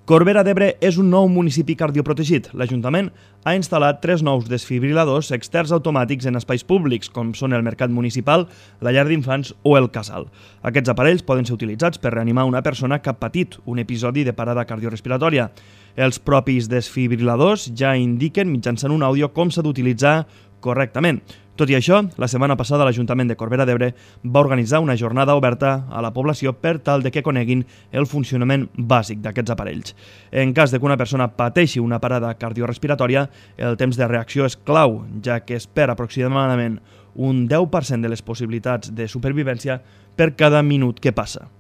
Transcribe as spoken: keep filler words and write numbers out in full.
Corbera d'Ebre és un nou municipi cardioprotegit. L'Ajuntament ha instal·lat tres nous desfibriladors externs automàtics en espais públics, com són el Mercat Municipal, la llar d'infants o el casal. Aquests aparells poden ser utilitzats per reanimar una persona que ha patit un episodi de parada cardiorespiratòria. Els propis desfibriladors ja indiquen mitjançant un àudio com s'ha d'utilitzar correctament. Tot i això, la setmana passada l'Ajuntament de Corbera d'Ebre va organitzar una jornada oberta a la població per tal de que coneguin el funcionament bàsic d'aquests aparells. En cas de que una persona pateixi una parada cardiorespiratòria, el temps de reacció és clau, ja que es perd aproximadament un deu per cent de les possibilitats de supervivència per cada minut que passa.